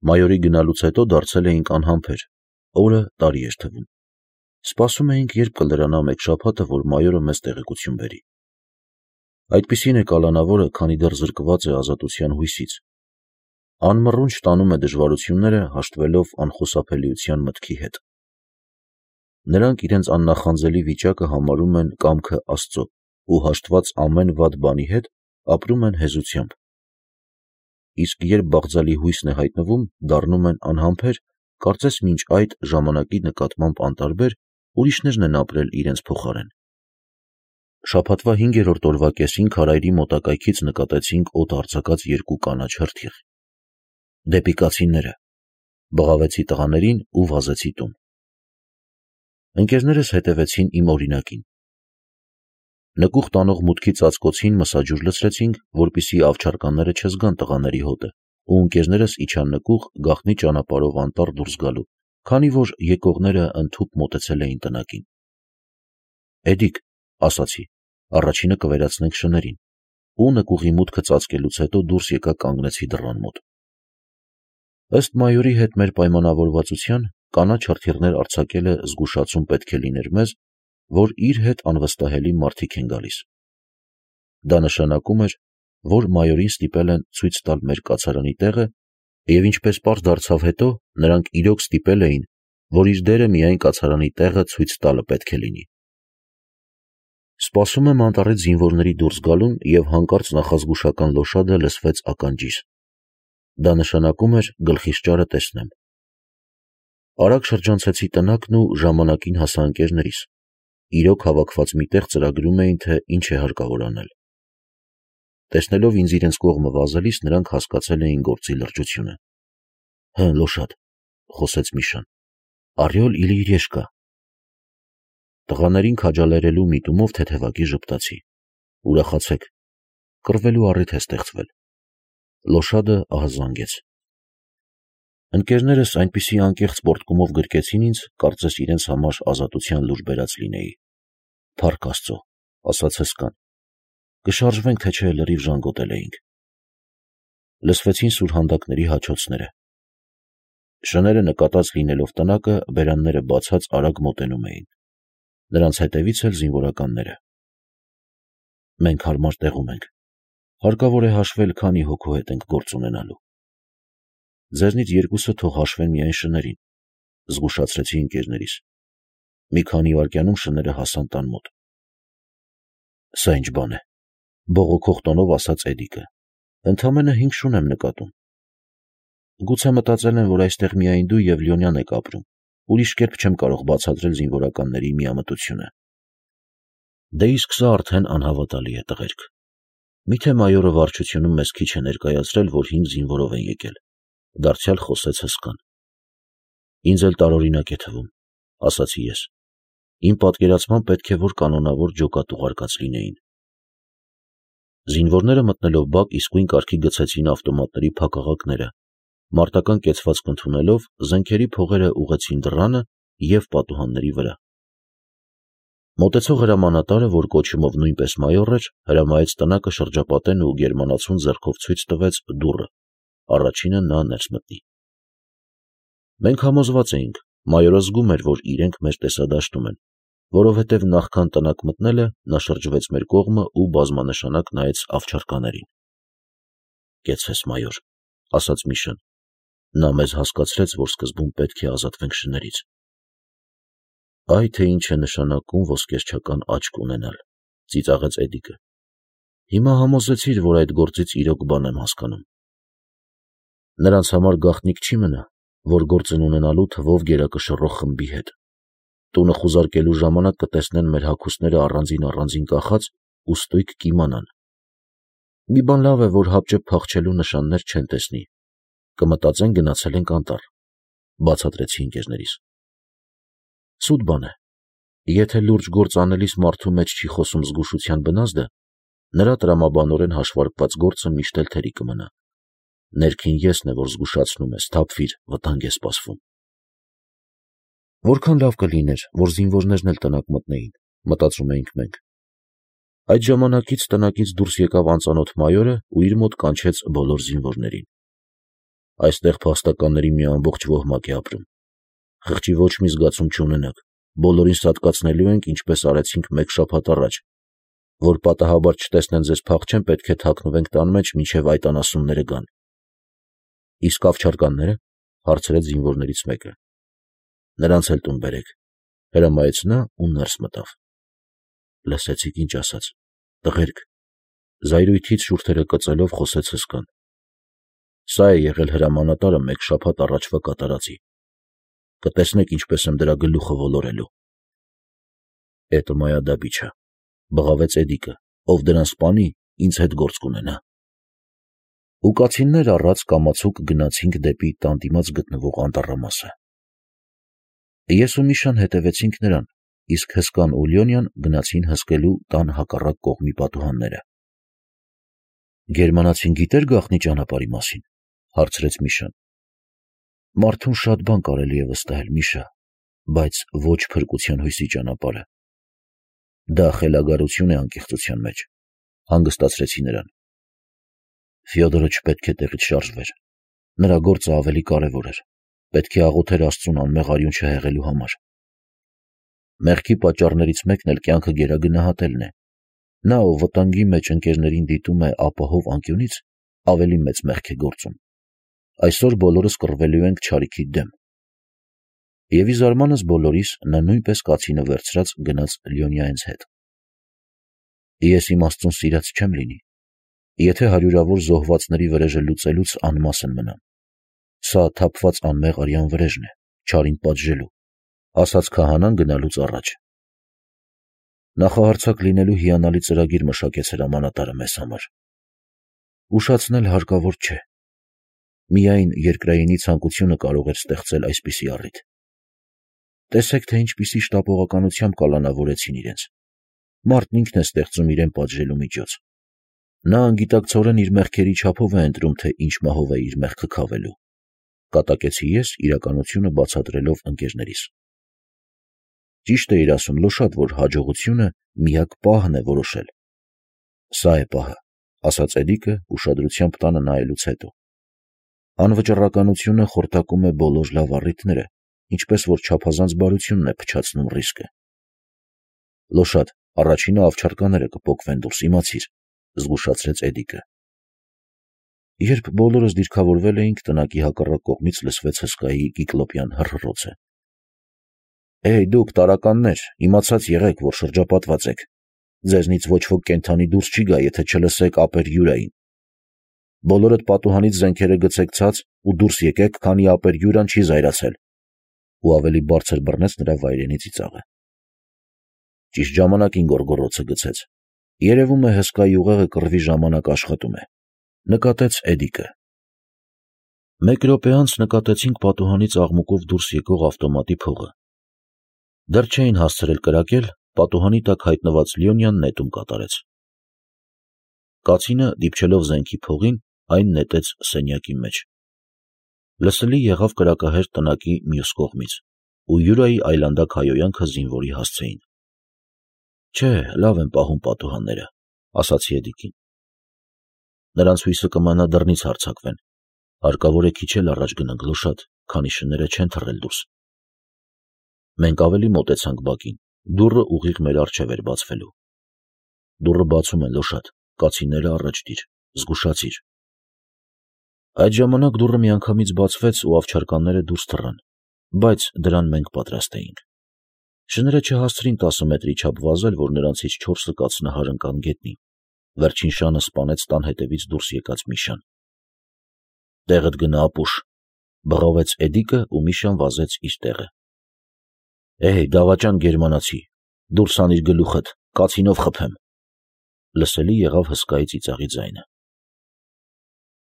Մայորի գնալուց հետո դարձել էինք անհամբեր, օրը տարի էր թվում։ Սպասում էինք, երբ կլրանա մեկ շաբաթը, որ մայորը մեզ տեղեկություն բերի։ Այդպիսին է կալանավորը, քանի դեռ զրկված է ազատության հույսից։ Անմռունչ տանում է դժվարությունները, հաշտվելով անխուսափելիության մտքի հետ։ Նրանք իրենց աննախանձելի վիճակը համարում են կամքը Աստծո ու հաշտված ամեն վատ բանի հետ ապրում են հեզությամբ։ Իսկ երբ բաղձալի հույսն է հայտնվում, դառնում են անհամբեր, կարծես մինչ այդ ժամանակի նկատմամբ անտարբեր, ուրիշներն են ապրել իրենց փոխարեն։ Շաբաթվա 5-րդ օրվա կեսին քարայրի մոտակայքից նկատեցինք օդ արձակած երկու կանաչ հրթիռ։ Դեպի կացինները, բղավեցի տղաներին ու վազեցի տուն։ Ընկերներս հետևեցին իմ օրինակին։ Նկուղ տանող մուտքի ծածկոցին մսաջուր լցրեցինք, որպեսզի ավչարկանները չզգան տղաների հոտը, ու ընկերներս իջան նկուղ գաղտնի ճանապարհով անտառ դուրս գալու, քանի որ եկողները ընդհուպ մոտեցել էին տնակին։ «Էդիկ», ասացի, «առաջինը կվերացնենք շներին», ու նկուղի մուտքը ծածկելուց հետո դուրս եկա կանգնեցի դռան մոտ։ Ըստ մայորի հետ մեր պայմանավորվածության, կանաչ հրթիռներ արձակելը զգուշացում պետք է լիներ մեզ, որ իր հետ անվստահելի մարդիկ են գալիս։ Դա նշանակում էր, որ մայորին ստիպել են ցույց տալ մեր կացարանի տեղը, և ինչպես պարզ դարձավ հետո, նրանք իրոք ստիպել էին, որ իր դերը միայն կացարանի տեղը ցույց տալը պետք է լինի։ Սպասում եմ անտառից զինվորների դուրս գալուն և հանկարծ նախազգուշական լոշադը լսվեց ականջիս։ Դա նշանակում էր գլխիս ճարը տեսնեմ։ Արագ շրջանցեցի տնակն ու ժամանակին հասա ընկերներիս։ Իրոք հավաքված միտեղ ծրագրում էին, թե ինչ է հարկավոր անել։ Տեսնելով ինձ իրենց կողմը վազելիս, նրանք հասկացել էին գործի լրջությունը։ «Հը, լոշադ», խոսեց Միշան, «Առյոլ իլի իրեշկա»։ Տղաներին քաջալերելու միտումով թեթևակի ժպտացի։ «Ուրախացեք, կռվելու առիթ է ստեղծվել»։ Լոշադը ահազանգեց։ Ընկերներս այնպիսի անկեղծ պոռթկումով գրկեցին ինձ, կարծես իրենց համար ազատության լուր բերած լինեի։ «Փառք Աստծո», ասաց հսկան, «կշարժվենք, թե չէ լրիվ ժանգոտել էինք»։ Լսվեցին սուրհանդակների հաչոցները։ Շները նկատած լինելով տնակը, բերանները բացած արագ մոտենում էին։ Նրանց հետևից էլ զինվորականները։ «Մենք հարմար տեղում ենք, հարկավոր է հաշվել, քանի հոգու հետ ենք գործ ունենալու»։ «Ձեզնից երկուսը թող հաշվեն միայն շներին», զգուշացրեցի ընկերներիս։ Մի քանի վայրկյանում շները հասան տան մոտ։ «Սա ինչ բան է», բողոքող տոնով ասաց Էդիկը, «ընդամենը 5 շուն եմ նկատում»։ «Գուցե մտածել են, որ այստեղ միայն դու և Լյոնյան եք ապրում, ուրիշ կերպ չեմ կարող բացատրել զինվորականների միամտությունը»։ «Դե իսկ սա արդեն անհավատալի է, տղերք։ Միթե մայորը վարչությունում մեզ քիչ է ներկայացրել, որ 5 զինվորով են եկել», դարձյալ խոսեց հսկան։ «Ինձ էլ տարօրինակ է թվում», ասացի ես։ «Իմ պատկերացմամբ պետք է որ կանոնավոր ջոկատ ուղարկած լինեին»։ Զինվորները մտնելով բակ իսկույն կարգի գցեցին ավտոմատների փակաղակները, մարտական կեցվածք ընդունելով, զենքերի փողերը ուղղեցին դռանը և պատուհանների վրա։ Մոտեցող հրամանատարը, որ կոչումով նույնպես մայոր էր, հրամայեց տնակը շրջապատեն ու գերմանացուն ձեռքով ցույց տվեց դուռը, առաջինը նա ներս մտնի։ Մենք համոզված էինք, մայորը զգում էր, որ իրենք մեր տեսադաշտում են, որովհետև նախքան տնակ մտնելը նա շրջվեց մեր կողմը ու բազմանշանակ նայեց ավչարկաներին։ «Կեցվես, մայոր», ասաց Միշան, «նա մեզ հասկացրեց, որ սկզբում պետք է ազատվենք շներից»։ «Այ թե ինչ է նշանակում ոսկերչական աչք ունենալ», ծիծաղեց Էդիկը։ «Հիմա համոզվեցիր, որ այդ գործից իրոք բան եմ հասկանում»։ «Նրանց համար գաղտնիք չի մնա, որ գործ են ունենալու թվով գերակշռող խմբի հետ։ Տունը խուզարկելու ժամանակ կտեսնեն մեր հագուստները առանձին կախած ու ստույգ կիմանան։ Մի բան լավ է, որ հապճեպ փախչելու նշաններ չեն տեսնի, կմտածեն գնացել ենք անտառ», բացատրեցի ընկերներիս։ «Սուտ բան է, եթե լուրջ գործ անելիս մարդու մեջ չի խոսում զգուշության բնազդը, նրա տրամաբանորեն հաշվարկված գործը միշտ էլ թերի կմնա։ Ներքին եսն է, որ զգուշացնում է, սթափվիր, վտանգ է սպասվում»։ Որքան լավ կլիներ, որ զինվորներն էլ տնակ մտնեին, մտածում էինք մենք։ Այդ ժամանակից տնակից դուրս եկավ անծանոթ մայորը ու իր մոտ կանչեց բոլոր զինվորներին։ Այստեղ փաստականների մի ամբողջ ոհմակ է ապրում։ Խղճի ոչ մի զգացում չունենաք, բոլորին սատկացնելու ենք, ինչպես արեցինք մեկ շաբաթ առաջ, որ պատահաբար չտեսնեն ձեզ փախչեն, պետք է թաքնվենք տան մեջ, մինչև այդ անասունները գան։ Իսկ ավճարկանները, հարցրեց զինվորներից մեկը։ Նրանց էլ տուն բերեք, հրամայեց նա ու ներս մտավ։ Լսեցիք ինչ ասաց։ Տղերք, զայրույթից շուրթերը կծելով խոսեց հսկան։ Սա է եղել հրամանատարը մեկ շաբաթ առաջվա կատարածի։ Կտեսնեք ինչպես եմ դրա գլուխը ոլորելու։ Էտը մայադաբիչա, բղավեց Էդիկը, ով դրան սպանի, ինձ հետ գործ կունենա։ Ու կացիններ առած կամացուկ գնացինք դեպի տան դիմաց գտնվող անտառամասը։ Ես ու Միշան հետևեցինք նրան, իսկ հսկան ու Լյոնյան գնացին հսկելու տան հակառակ կողմի պատուհանները։ Գերմանացին գիտեր գաղտնի ճանապարհի մասին, հարցրեց Միշան։ Մարդուն շատ բան կարելի է վստահել, Միշա, բայց ոչ փրկության հույսի ճանապարհը։ Դա խելագարություն է անկեղծության մեջ, հանգստացրեցի նրան։ Ֆյոդորը չպետք է տեղից շարժվեր։ Նրա գործը ավելի կարևոր էր։ Պետք է աղոթեր Աստծուն անմեղ արյուն չհեղելու համար։ Մեղքի պատճառներից մեկն էլ կյանքը գերագնահատելն է։ Նա, ով վտանգի մեջ ընկերներին դիտում է ապահով անկյունից, ավելի մեծ մեղք է գործում։ Այսօր բոլորս կռվելու ենք չարիքի դեմ։ Եվ ի զարմանս բոլորիս նա նույնպես կացինը վերցրած գնաց Լյոնյայից հետ։ Ես իմ Աստծուն սիրած չեմ լինի, եթե հարյուրավոր զոհվածների վրեժը լուծելուց անմասն մնամ։ Սա թափված անմեղ արյան վրեժն է, չարին պատժելու, ասաց քահանան գնալուց առաջ։ Նախահարձակ լինելու հիանալի ծրագիր մշակեց հրամանատարը մեզ համար։ Ուշացնել հարկավոր չէ։ Միայն երկրայինի ցանկությունը կարող էր ստեղծել այսպիսի առիթ։ Տեսեք, թե ինչպիսի շտապողականությամբ կալանավորեցին իրենց։ Մարդն ինքն է ստեղծում իրեն պատժելու միջոց։ Նա անգիտակցորեն իր մեղքերի չափով է ընտրում, թե ինչ մահով է իր մեղքը քավելու։ Կատակեցի ես իրականությունը բացատրելով ընկերներիս։ Ճիշտ է իր ասում Լոշատ, որ հաջողությունը միակ պահն է որոշել։ Սա է պահը, ասաց Էդիկը ուշադրությամբ տանը նայելուց հետո։ Անվճռականությունը խորտակում է բոլոր լավ առիթները, ինչպես որ չափազանց բարությունն է փչացնում ռիսկը։ Լոշատ, առաջինը ավճարկաները կփոկվեն դուրս, իմացիր, զգուշացրեց Էդիկը։ Երբ բոլորս դիրքավորվել էինք, տնակի հակառակ կողմից լսվեց հսկայի կիկլոպյան հռհռոցը։ Էй, դուք տարականներ, իմացած եղեք, որ շրջապատված եք։ Ձեզնից ոչ ոք կենդանի դուրս չի գա, եթե չլսեք ապեր Յուրային։ Բոլորդ պատուհանից զենքերը գցեք ցած ու դուրս եկեք, քանի ապեր Յուրան չի զայրացել։ Ու ավելի բարձր բռնեց նրա վայրենի ծիծաղը։ Ճիշտ ժամանակին գորգորոցը գցեց։ Երևում է հսկայի ուղեղը կռվի ժամանակ աշխատում է, նկատեց Էդիկը։ Մեկ րոպե անց նկատեցինք պատուհանից աղմուկով դուրս եկող ավտոմատի փողը։ Դեռ չէին հասցրել կրակել, պատուհանի տակ հայտնված Լյոնյան նետում կատարեց։ Կացինը, դիպչելով զենքի փողին, այն նետեց սենյակի մեջ։ Լսելի եղավ կրակահեր տնակի մյուս կողմից, ու Յուրայի այլանդակ հայոյանքը զինվորի հասցեին։ Չէ, լավ են պահում պատուհանները, ասացի Էդիկին։ Նրանց հույսը կմանա դռնից հարձակվեն։ Հարկավոր է քիչ էլ առաջ գնանք, Լոշատ, քանի շները չեն թռել դուրս։ Մենք ավելի մոտեցանք բակին, դուռը ուղիղ մեր առջև էր բացվելու։ Դուռը բացում են, Լոշատ, կացինները առաջ դիր, զգուշացիր։ Այդ ժամանակ դուռը միանգամից բացվեց ու ավճարկանները դուրս թռան, բայց դրան մենք պատրաստ էինք։ Շները չհասցրին 10 մետրի չափ վազել, որ նրանցից 4-ը կացնահար ընկան գետնին։ Վերջին շանը սպանեց տան հետևից դուրս եկած Միշան։ Տեղդ գնա ապուշ, բղավեց Էդիկը ու Միշան վազեց իր տեղը։ Էհ, դավաճան գերմանացի, դուրս անիր գլուխդ, կացինով խփեմ։ Լսելի եղավ հսկայի ծիծաղի ձայնը։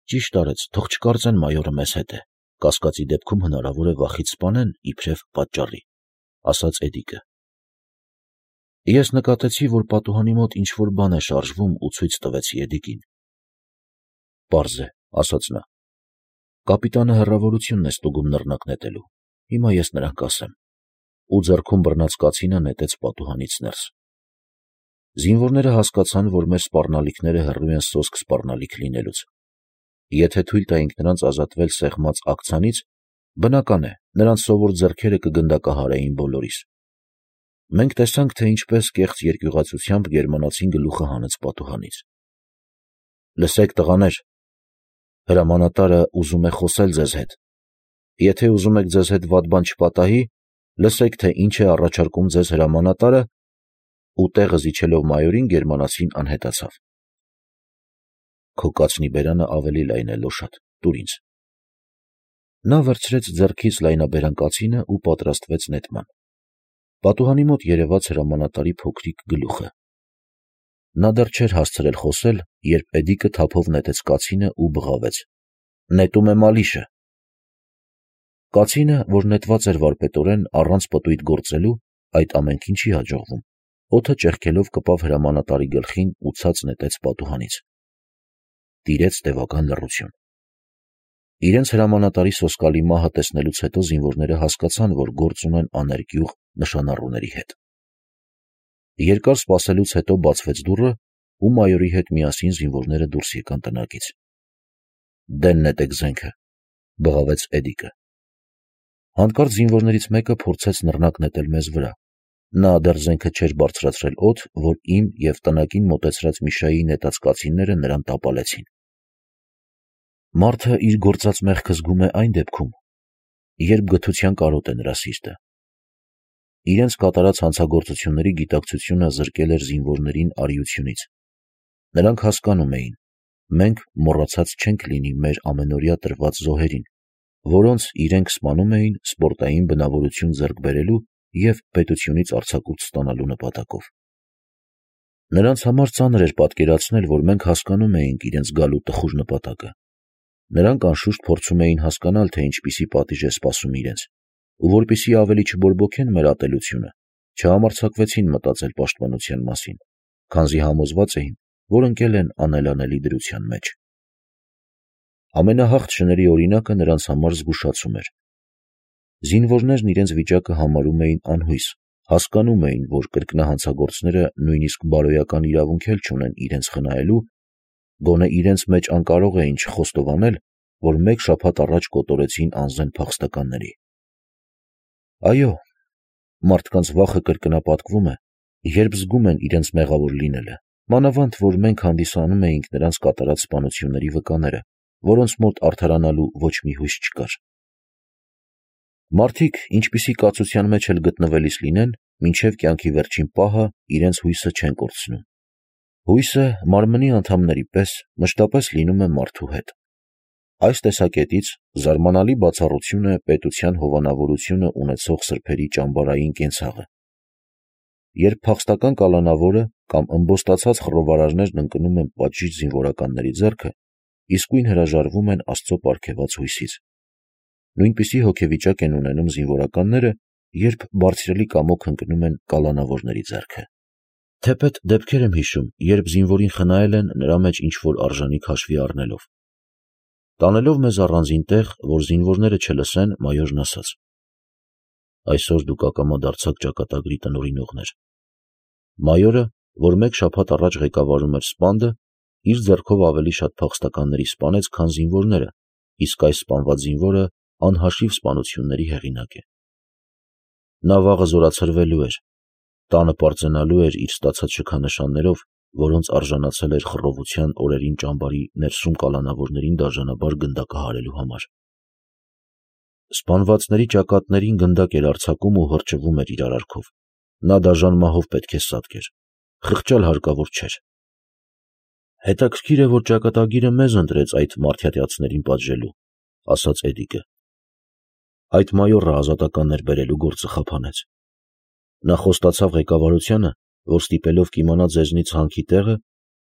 Ճիշտ արեց, թող չկարծեն մայորը մեզ հետ է, կասկածի դեպքում հնարավոր է վախից սպանեն իբրև պատճառի, ասաց Էդիկը։ Ես նկատեցի, որ պատուհանի մոտ ինչ-որ բան է շարժվում ու ցույց տվեցի Էդիկին։ Պարզ է, ասաց նա։ Կապիտանը հեռավորությունն է ստուգում նռնակ նետելու, հիմա ես նրան կասեմ։ Ու ձեռքում բռնած կացինը նետեց պատուհանից ներս։ Զինվորները հասկացան, որ մեր սպառնալիքները հեռու են սոսկ սպառնալիք լինելուց։ Եթե թույլ տայինք նրանց ազատվել սեղմած ակցանից, բնական է, նրանց սովոր ձեռքերը կգնդակահարեին բոլորիս։ Մենք տեսանք, թե ինչպես կեղծ երկյուղացությամբ գերմանացին գլուխը հանեց պատուհանից։ Լսեք, տղաներ, հրամանատարը ուզում է խոսել ձեզ հետ։ Եթե ուզում եք ձեզ հետ վատ բան չպատահի, լսեք, թե ինչ է առաջարկում ձեզ հրամանատարը, ու տեղը զիջելով մայորին գերմանացին անհետացավ։ Քո կացնի բերանը ավելի լայն է, լոշատ, տուր ինձ։ Նա վերցրեց ձեռքից լայնաբերան կացինը ու պատրաստվեց նետման։ Պատուհանի մոտ երևաց հրամանատարի փոքրիկ գլուխը։ Նա դեռ չէր հասցրել խոսել, երբ Էդիկը թափով նետեց կացինը ու բղավեց. «Նետում եմ Ալիշը»։ Կացինը, որ նետված էր վարպետորեն առանց պտույտ գործելու, այդ ամենքին չի հաջողվում, օդը ճեղքելով կպավ հրամանատարի գլխին ու ցած նետեց պատուհանից։ Տիրեց տևական լռություն։ Իրենց հրամանատարի սոսկալի մահը տեսնելուց հետո զինվորները հասկացան, որ գործ ունեն աներկյուղ նշանառուների հետ։ Երկար սպասելուց հետո բացվեց դուռը, ու մայորի հետ միասին զինվորները դուրս եկան տնակից։ «Դեն նետեք զենքը», բղավեց Էդիկը։ Հանկարծ զինվորներից մեկը փորձեց նռնակ նետել մեզ վրա։ Նա դեռ զենքը չէր բարձրացրել օդ, որ իմ և տնակին մոտեցրած Միշայի նետած կացինները նրան տապալեցին։ Մարդը իր գործած մեղքը զգում է այն դեպքում, երբ գթության կարոտ է նրա սիրտը։ Իրենց կատարած հանցագործությունների գիտակցությունը զրկել էր զինվորներին արիությունից։ Նրանք հասկանում էին, մենք մոռացած չենք լինի մեր ամենօրյա տրված զոհերին, որոնց իրենք սպանում էին սպորտային բնավորություն ձեռք բերելու և պետությունից արձակուրդ ստանալու նպատակով։ Նրանց համար ծանր էր պատկերացնել, որ մենք հասկանում էինք իրենց գալու տխուր նպատակը։ Նրանք անշուշտ փորձում էին հասկանալ, թե ինչպիսի պատիժ է սպասում իրենց, ու որպեսզի ավելի չբորբոքեն մեր ատելությունը, չհամարձակվեցին մտածել պաշտպանության մասին, քանզի համոզված էին, որ ընկել են անելանելի դրության մեջ։ Ամենահաղթ շների օրինակը նրանց համար զգուշացում էր։ Զինվորներն իրենց վիճակը համարում էին անհույս, հասկանում էին, որ կրկնահանցագործները նույնիսկ բարոյական իրավունք էլ չունեն իրենց խնայելու, գոնե իրենց մեջ անկարող էին չխոստովանել, որ մեկ շաբաթ առաջ կոտորեցին անզեն փախստականների։ Այո, մարդկանց վախը կրկնապատկվում է, երբ զգում են իրենց մեղավոր լինելը, մանավանդ որ մենք հանդիսանում էինք նրանց կատարած սպանությունների վկաները, որոնց մոտ արդարանալու ոչ մի հույս չկար։ Մարդիկ, ինչպիսի կացության մեջ էլ գտնվելիս լինեն, մինչև կյանքի վերջին պահը իրենց հույսը չեն կորցնում։ Հույսը մարմնի անդամների պես մշտապես լինում է մարդու հետ։ Այս տեսակետից զարմանալի բացառություն է պետության հովանավորությունը ունեցող սրբերի ճամբարային կենցաղը։ Երբ փախստական կալանավորը կամ ըմբոստացած խռովարարներն ընկնում են պատժիչ զինվորականների ձեռքը, իսկույն հրաժարվում են Աստծո պարգևած հույսից։ Նույնպիսի հոգեվիճակ են ունենում զինվորականները, երբ բարձրելի կամոք ընկնում են կալանավորների ձեռքը։ Թեպետ դեպքեր եմ հիշում, երբ զինվորին խնայել են նրա մեջ ինչ-որ արժանիք հաշվի առնելով։ Տանելով մեզ առանձին տեղ, որ զինվորները չլսեն, մայորն ասաց. «Այսօր դուք ակամա դարձաք ճակատագրի տնօրինողներ»։ Մայորը, որ մեկ շաբաթ առաջ ղեկավարում էր սպանդը, իր ձեռքով ավելի շատ փախստականների սպանեց, քան զինվորները, իսկ այս սպանված զինվորը անհաշիվ սպանությունների հեղինակ է։ Նա վաղը զորացրվելու էր, տանը պարծենալու էր իր ստացած շքանշաններով, որոնց արժանացել էր խռովության օրերին ճամբարի ներսում կալանավորներին դաժանաբար գնդակահարելու համար։ Սպանվածների ճակատներին գնդակ էր արձակում ու հրճվում էր իր արարքով։ Նա դաժան մահով պետք է սատկեր, խղճալ հարկավոր չէր։ Հետաքրքիր է, որ ճակատագիրը մեզ ընտրեց այդ մարդյատյացներին պատժելու, ասաց Էդիկը։ Այդ մայորը ազատականներ բերելու գործը խափանեց։ Նա խոստացավ ղեկավարությանը, որ ստիպելով կիմանա ձեզնից հանքի տեղը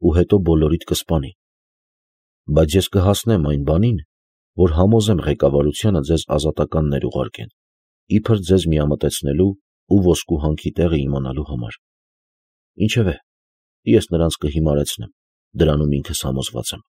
ու հետո բոլորիդ կսպանի։ Բայց ես կհասնեմ այն բանին, որ համոզեմ ղեկավարությանը ձեզ ազատականներ ուղարկեն, իբր ձեզ միամտեցնելու ու ոսկու հանքի տեղը իմանալու համար։ Ինչևէ, ես նրանց կհիմարեցնեմ, դրանում ինքս համոզված եմ։